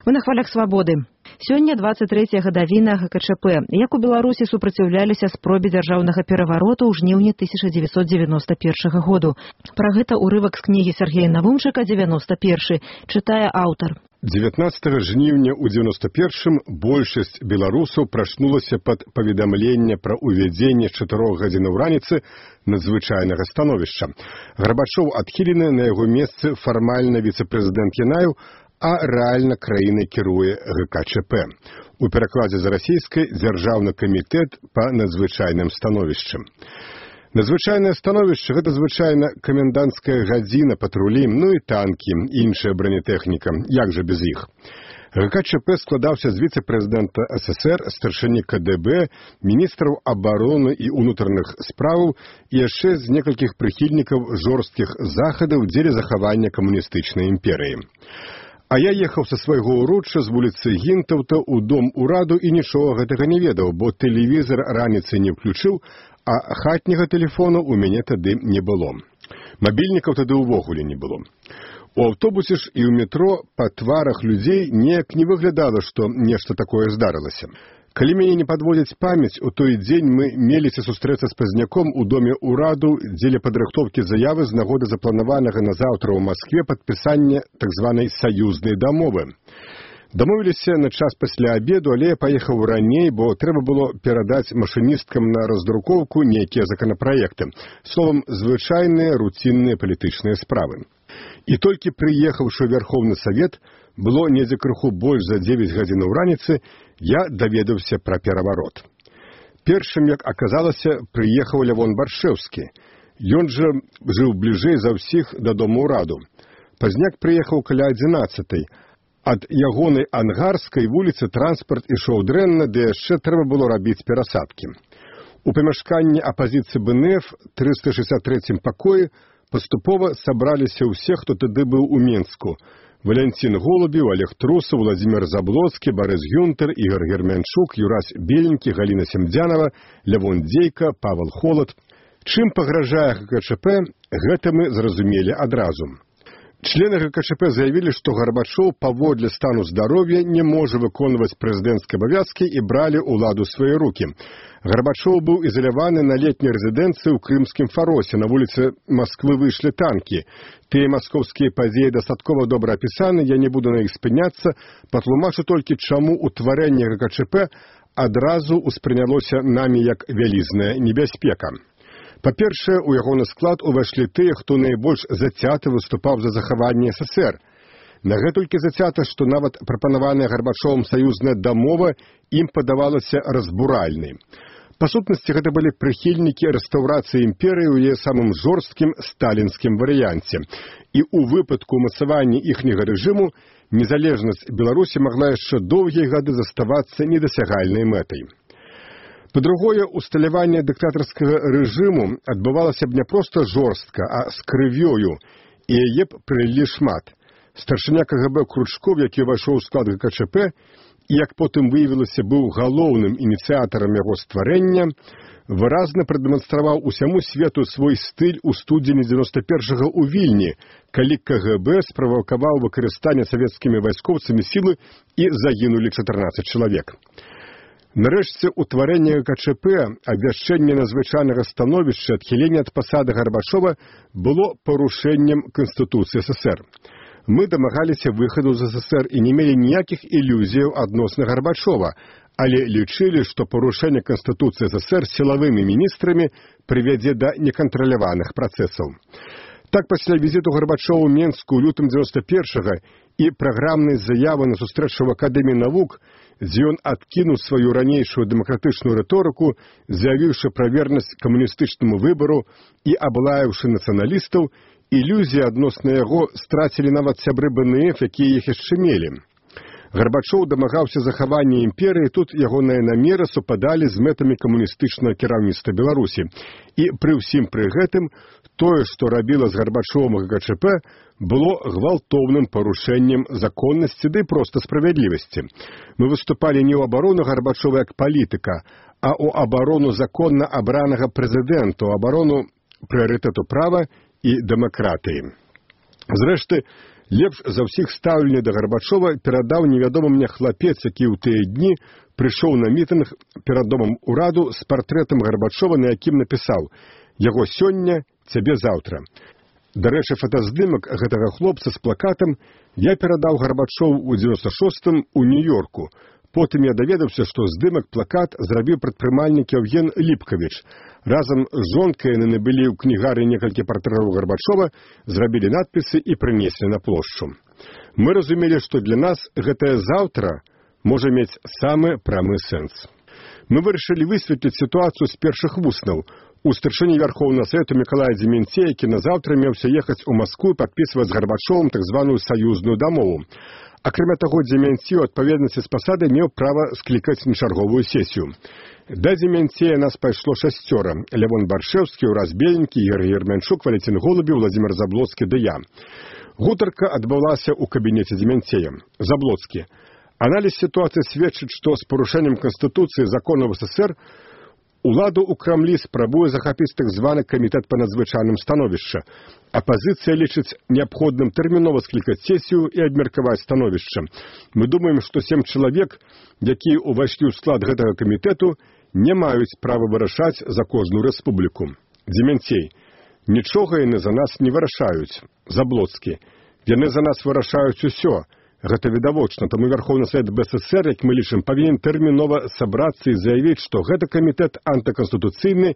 Мы на хвалях свабоды. Сёння 23-я гадавіна ГКЧП. Як у Беларусі супраціўляліся спробе дзяржаўнага перавароту ў жніўні 1991 году. Пра гэта ўрывак з кнігі Сергея Навумчыка «91». Чытае аўтар. 19 жніўня ў 91-м большасць беларусаў прачнулася пад паведамленне пра ўвядзенне 4 гадзінаў раніцы надзвычайнага становішча. Гарбачоў адхілены, на яго месцы фармальна віцэ-прэзідэнт Янаеў, а рэальна краінай кіруе ГКЧП. У перакладзе з расійскай дзяржаўны камітэт па надзвычайным становішчам. Надзвычайнае становішча – гэта звычайна каменданцкая гадзіна, патрулі, ну і танкі, іншая бронетэхніка. Як жа без іх? ГКЧП складаўся з віцэ-прэзідэнта СССР, старшыні КДБ, міністраў абароны і ўнутраных справаў і яшчэ з некалькіх прыхільнікаў жорсткіх захадаў дзеля захавання камуністычнай імперыі. А я ехаў са свайго ўрочча з вуліцы Гінтаўта ў дом ураду і нічога гэтага не ведаў, бо тэлевізор раніцай не ўключыў, а хатняга тэлефону ў мяне тады не было. Мабільнікаў тады ўвогуле не было. У аўтобусе ж і ў метро па тварах людзей неяк не выглядала, што нешта такое здарылася. Калі мяне не падводзіць памяць, у той дзень мы меліся сустрэцца з пазняком у доме ўраду дзеля падрыхтоўкі заявы з нагоды запланаванага на заўтра ў Маскве падпісання так званай саюзнай дамовы. Дамовіліся на час пасля абеду, але я паехаў раней, бо трэба было перадаць машыністкам на раздрукоўку нейкія законапраекты. Словам, звычайныя руцінныя палітычныя справы. І толькі прыехаўшы ў Верховны Савет, было недзе крыху больш за 9 гадзінаў раніцы, я даведаўся пра пераварот. Першым, як аказалася, прыехаў Лявон Баршэўскі. Ён жа жыў бліжэй за ўсіх да дома ўраду. Пазняк прыехаў каля 11-й. Ад ягонай ангарскай вуліцы транспарт ішоў дрэнна, ды яшчэ трэба было рабіць перасадкі. У памяшканні апазіцыі БНФ 363 пакоі паступова сабраліся ўсе, хто тады быў у Менску. Валянцін Голубів, Олег Трусов, Владимир Заблоцкі, Борис Гюнтер, Ігор Герменчук, Юрась Беленькі, Галіна Семдзянова, Лявон Дзейка, Павел Холод. Чым пагражае ГКЧП, гэта мы зразумелі адразу. Члены ГКЧП заявілі, што Гарбачоў паводле стану здароўя не можа выконваць прэзідэнцкія абавязкі і бралі ўладу ў свае рукі. Гарбачоў быў ізаляваны на летняй рэзідэнцыі ў крымскім Фаросе. На вуліцы Масквы выйшлі танкі. Тыя маскоўскія падзеі дастаткова добра апісаны, я не буду на іх спыняцца, патлумачу толькі, чаму ўтварэнне ГКЧП адразу ўспрынялося намі як вялізная небяспека. Па-першае, у ягоны склад увайшлі тыя, хто найбольш зацята выступаў за захаванне СССР. На гэтулькі зацята, што нават прапанаваная Гарбачовым саюзная дамова ім падавалася разбуральнай. Па сутнасці, гэта былі прыхільнікі рэстаўрацыі імперыі ў яе самым жорсткім сталінскім варыянце. І ў выпадку ўмацавання іхняга рэжыму незалежнасць Беларусі магла яшчэ доўгія гады заставацца недасягальнай мэтай. Па-другое, усталяванне дыктатарскага рэжыму адбывалася б не проста жорстка, а з крывёю, і яе б прылілі шмат. Старшыня КГБ Кручков, які ўвайшоў у склад ГКЧП, і, як потым выявілася, быў галоўным ініцыятарам яго стварэння, выразна прадэманстраваў усяму свету свой стыль у студзені 91-го ў Вільні, калі КГБ справакаваў выкарыстанне савецкімі вайскоўцамі сілы і загінулі 14 чалавек. Нарэшце, утварэнне ГКЧП, абвяшчэнне надзвычайнага становішча, адхіленне ад пасады Гарбачова было парушэннем Канстытуцыі СССР. Мы дамагаліся выхаду з СССР і не мелі ніякіх ілюзіяў адносна Гарбачова, але лічылі, што парушэнне Канстытуцыі СССР сілавымі міністрамі прывядзе да некантраляваных працэсаў. Так, пасля візіту Гарбачова ў Менску ў лютым 91-го і праграмнай заявы на сустрэчу ў Акадэміі навук, дзе ён адкінуў сваю ранейшую дэмакратычную рыторыку, заявіўшы пра вернасць камуністычнаму выбару і аблаяўшы нацыяналістаў, ілюзіі адносна яго страцілі нават сябры БНФ, якія іх яшчэ мелі. Гарбачоў дамагаўся захавання імперыі, тут ягоныя намеры супадалі з мэтамі камуністычнага кіраўніцтва Беларусі. І пры ўсім пры гэтым, тое, што рабіла з Гарбачовым ГКЧП, было гвалтоўным парушэннем законнасці, ды проста справядлівасці. Мы выступалі не ў абарону Гарбачова як палітыка, а ў абарону законна абранага прэзідэнта, у абарону прыярытэту права і дэмакратыі. Зрэшты, Лепш за ўсіх стаўленне да Гарбачова перадаў невядомы мне хлапец, які ў тыя дні прыйшоў на мітынг перад домам ураду з партрэтам Гарбачова, на якім напісаў: «Яго сёння, цябе заўтра». Дарэчы, фотаздымак гэтага хлопца з плакатам я перадаў Гарбачову ў 96-м у Нью-Йорку. Потым я даведаўся, што здымак плакат зрабіў прадпрымальнік Евген Ліпкавіч. Разам з жонкай яны набылі ў кнігары некалькі партрэтаў Гарбачова, зрабілі надпісы і прынеслі на плошчу. Мы разумелі, што для нас гэтае заўтра можа мець самы прамы сэнс. Мы вырашылі высветліць сітуацыю з першых вуснаў. У старшыні Вярхоўнага Савету Мікалая Дземянцея, які назаўтра меўся ехаць у Маскву і падпісваць з Гарбачовым так званую саюзную дамову. Акрамя таго, Дземянцей у адпаведнасці з пасадай меў права склікаць на чарговую сесію. Да Дземянцея нас пайшло 6. Лявон Баршэўскі, Ураз Беленькі, Георгій Ермянчук, Валентин Голубев, Владимир Заблоцкі ды я. Гутарка адбылася ў кабінеце Дземянцея. Заблоцкі. Аналіз сітуацыі сведчыць, што з парушэннем Канстытуцыі законаў СССР уладу ў Крамлі спрабуе захапіць так званы камітэт па надзвычайным становішча. Апазіцыя лічыць неабходным тэрмінова склікаць сесію і абмеркаваць становішча. Мы думаем, што 7 чалавек, якія ўвайшлі ў склад гэтага камітэту, не маюць права вырашаць за кожную рэспубліку. Дземянцей. Нічога яны за нас не вырашаюць. Заблоцкі. Яны за нас вырашаюць усё. Гэта відавочна, таму Вярхоўны Савет БССР, як мы лічым, павінен тэрмінова сабрацца і заявіць, што гэты камітэт антыканстытуцыйны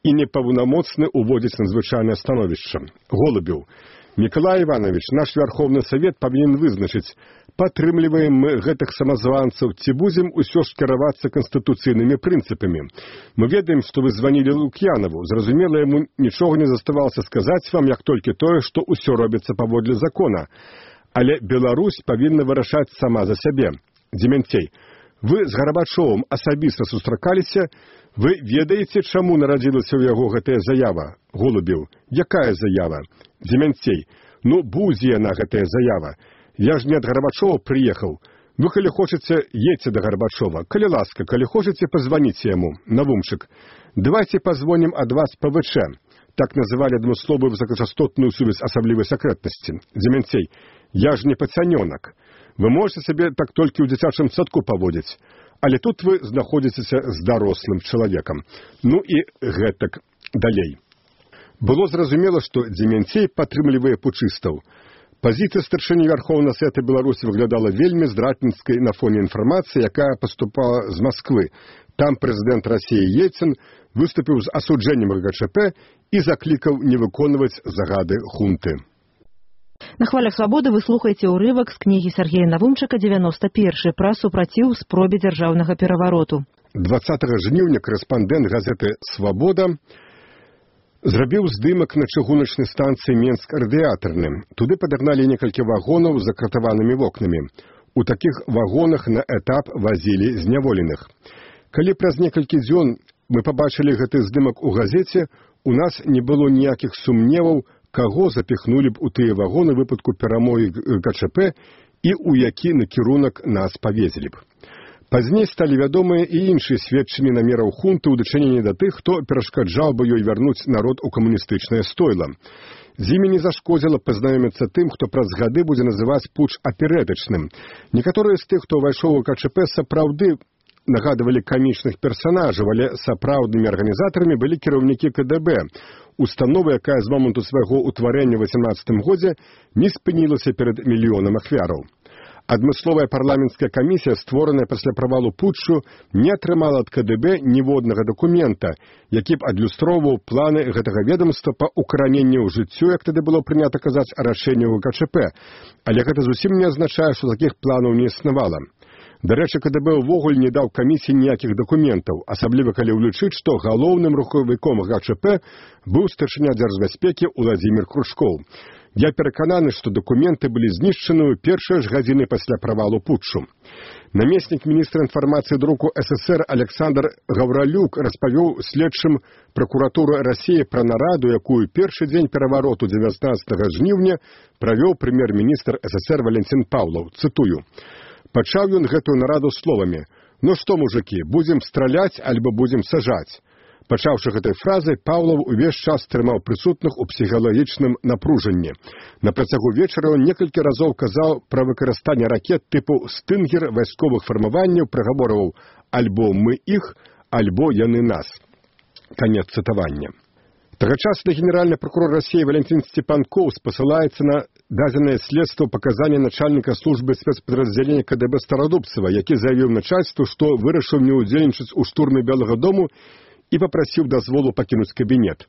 і непаўнамоцны ўводзіць надзвычайнае становішча. Голубев. Мікалай Іванович, наш Вярхоўны Савет павінен вызначыць, падтрымліваем мы гэтых самазванцаў ці будзем усё ж кіравацца канстытуцыйнымі прынцыпамі. Мы ведаем, што вы званілі Лук'янаву. Зразумела, яму нічога не заставалася сказаць вам, як толькі тое, што ўсё робіцца паводле закона. Але Беларусь павінна вырашаць сама за сябе. Дземянцей. Вы з Гарбачовым асабіста сустракаліся? Вы ведаеце, чаму нарадзілася ў яго гэтая заява? Голубев. Якая заява? Дземянцей. Ну, будзе яна, гэтая заява. Я ж не ад Гарбачова прыехаў. Вы, калі хочаце, едьце да Гарбачова. Калі ласка, калі хочаце, пазваніце яму. Навумчык. Давайте позвоним ад вас ПВЧ. Так называлі адмысловую высокачастотную сувязь асаблівай сакрэтнасці. Дземянцей. Я ж не пацанёнак. Вы можете сабе так толькі ў дзіцячым садку паводзіць. Але тут вы знаходзіцеся з дарослым чалавекам. Ну і гэтак далей. Было зразумела, што Дземянцей падтрымлівае пучыстаў. Пазіцыя старшыні Вярхоўнага Савета Беларусі выглядала вельмі здрадніцкай на фоне інфармацыі, якая паступала з Масквы. Там прэзідэнт Расіі Ельцын выступіў з асуджэннем ГКЧП і заклікаў не выконваць загады хунты. На хвалях свабоды вы слухаеце ўрывак з кнігі Сергея Навумчыка «91 пра супраціў спробе дзяржаўнага перавароту». 20 жніўня корэспандэнт газеты «Свабода» зрабіў здымак на чыгуначнай станцыі Менск-радыятарным. Туды падагналі некалькі вагонаў з закратаванымі вокнамі. У такіх вагонах на этап вазілі зняволеных. Калі праз некалькі дзён мы пабачылі гэты здымак у газеце, у нас не было ніякіх сумневаў, каго запіхнулі б у тыя вагоны ў выпадку перамогі ГКЧП і ў які накірунак нас павезлі б. Пазней сталі вядомыя і іншыя сведчанні намераў хунты ў дачыненні да тых, хто перашкаджаў бы ёй вярнуць народ у камуністычнае стойла. З імі не зашкодзіла пазнаёміцца тым, хто праз гады будзе называць путч аперэтычным. Некаторыя з тых, хто ўвайшоў у ГКЧП, сапраўды нагадывалі камічных персанажаў, але сапраўднымі арганізатарамі былі кіраўнікі КДБ, установы, якая з моманту свайго ўтварэння ў 18 годзе не спынілася перад мільёнам ахвяраў. Адмысловая парламенцкая камісія, створаная пасля правалу путчу, не атрымала ад КДБ ніводнага дакумента, які б адлюстроўваў планы гэтага ведомства па укараненню ў жыццё, як тады было прынята казаць, рашэнняў ГКЧП. Але гэта зусім не азначае, што такіх планаў не існавала. Дарэчы, КДБ ўвогуле не даў камісіі ніякіх дакументаў, асабліва калі ўлічыць, што галоўным рухавіком ГКЧП быў старшыня дзяржбяспекі Уладзімір Кружкоў. Я перакананы, што дакументы былі знішчаны ў першыя ж гадзіны пасля правалу путчу. Намеснік міністра інфармацыі друку СССР Александр Гавралюк распавёў следчым пракуратуры Расіі пра нараду, якую першы дзень перавароту 19 жніўня правёў прэм'ер-міністр СССР Валентин Паўлаў. Цытую. Пачаў ён гэтую нараду словамі: «Ну што, мужыкі, будзем страляць альбо будзем сажаць? Пачаўшы гэтай фразай, Паўлаў увесь час трымаў прысутных у псіхалагічным напружанні. На працягу вечара ён некалькі разоў казаў пра выкарыстанне ракет тыпу «Стынгер» вайсковых фармаванняў, прагаворваў «Альбо мы іх, альбо яны нас». Канец цытавання. Тагачасны генеральны прокурор России Валентин Степанков спасылаецца на дадзенае следства паказання начальніка службы спецпадраздзялення КДБ Старадубцева, які заявіў начальству, што вырашыў не ўдзельнічаць у штурме Белага дому і папрасіў дазволу пакінуць кабінет.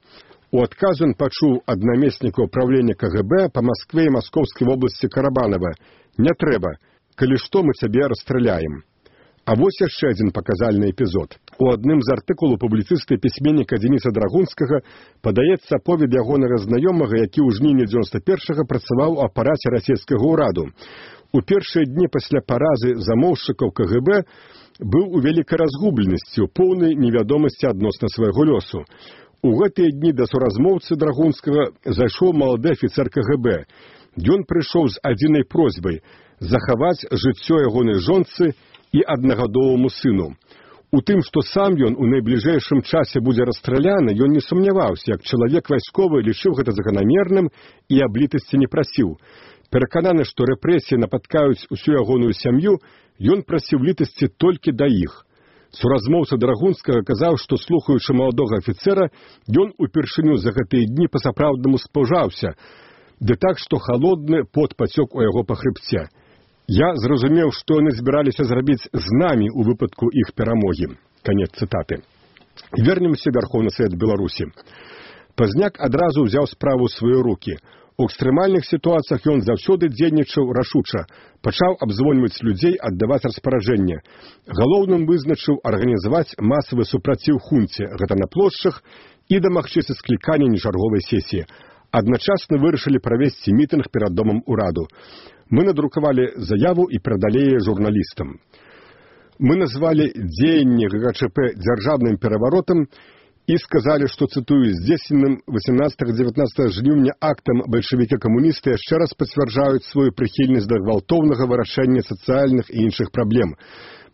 У адказу ён пачуў ад намесніка ўправлення КГБ па Маскве і Маскоўскай вобласці Карабанова: «Не трэба, калі што мы цябе расстраляем». А вось яшчэ адзін паказальны эпізод. У адным з артыкулаў публіцыста і пісьменніка Дзениса Драгунскага падаецца аповед ягонага знаёмага, які ў жніўні 91-го працаваў у апараце расійскага ўраду. У першыя дні пасля паразы замоўшчыкаў КГБ быў у вялікай разгубленасці, у поўнай невядомасці адносна свайго лёсу. У гэтыя дні да суразмоўцы Драгунскага зайшоў малады афіцэр КГБ. Ён прыйшоў з адзінай просьбай захаваць жыццё ягонай жонцы і аднагадоваму сыну. У тым, што сам ён у найбліжэйшым часе будзе расстраляны, ён не сумняваўся, як чалавек вайсковы лічыў гэта заканамерным і аблітасці не прасіў. Перакананы, што рэпрэсіі напаткаюць усю ягоную сям'ю, ён прасіў літасці толькі да іх. Суразмоўца Драгунскага казаў, што, слухаючы маладога афіцэра, ён упершыню за гэтыя дні па-сапраўднаму спужаўся, ды так, што халодны пот пацёк у яго па хрыбце. «Я зразумеў, што яны збіраліся зрабіць з намі ў выпадку іх перамогі». Канец цытаты. Вернемся ў Верховны Савет Беларусі. Пазняк адразу ўзяў справу ў свае рукі. У экстрэмальных сітуацыях ён заўсёды дзейнічаў рашуча. Пачаў абзвоньваць людзей, аддаваць распараджэнне. Галоўным вызначыў арганізаваць масавы супраціў хунце, гэта на плошчах, і дамагчыся склікання нечарговай сесіі. Адначасна вырашылі правесці мітынг перад домам ураду. Мы надрукавалі заяву і перадалі яе журналістам. Мы назвалі дзеянне ГКЧП дзяржаўным пераваротам і сказалі, што, цытую, здзейсненым 18-19 жніўня актам бальшавікі-камуністы яшчэ раз пацвярджаюць сваю прыхільнасць да гвалтоўнага вырашэння сацыяльных і іншых праблем.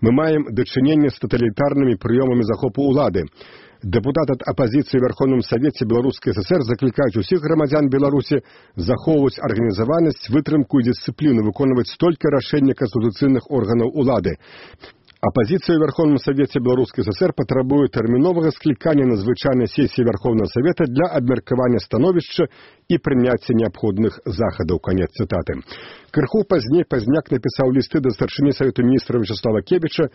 Мы маем дачыненне з таталітарнымі прыёмамі захопу ўлады. Дэпутат ад апазіцыі ў Верховным Савеце Беларускай ССР заклікаюць усіх грамадзян Беларусі захоўваць арганізаванасць, вытрымку і дысцыпліну, выконваць толькі рашэнні канстытуцыйных органаў улады. Апазіцыя ў Верховным Савеце Беларускай ССР патрабуе тэрміновага склікання на звычайнай сесіі Верховнага Савета для абмеркавання становішча і прыняцця неабходных захадаў. Канец цытаты. Крыху пазней Пазняк напісаў лісты да старшыні Савету міністраў Вячеслава Кебіча,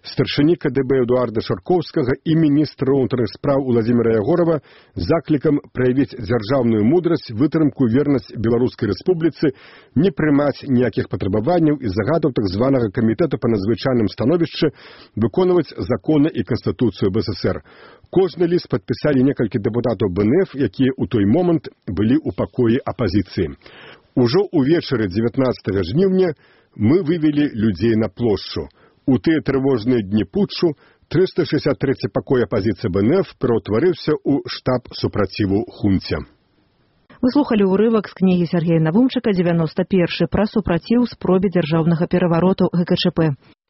старшыні КДБ Эдуарда Шаркоўскага і міністра ўнутраных спраў Уладзіміра Ягорова заклікам праявіць дзяржаўную мудрасць, вытрымку, вернасць Беларускай Рэспубліцы, не прымаць ніякіх патрабаванняў і загадаў так званага камітэту па надзвычайным становішчы, выконваць законы і Канстытуцыю БССР. Кожны ліст падпісалі некалькі дэпутатаў БНФ, якія ў той момант былі ў пакоі апазіцыі. Ужо ўвечары 19 жніўня мы вывелі людзей на плошчу. У тыя трывожныя дні путчу 363 пакой апазіцыі БНФ пераўтварыўся ў штаб супраціву хунце. Вы слухалі ўрывак з кнігі Сергея Навумчыка «91 пра супраціў спробе дзяржаўнага перавароту ГКЧП».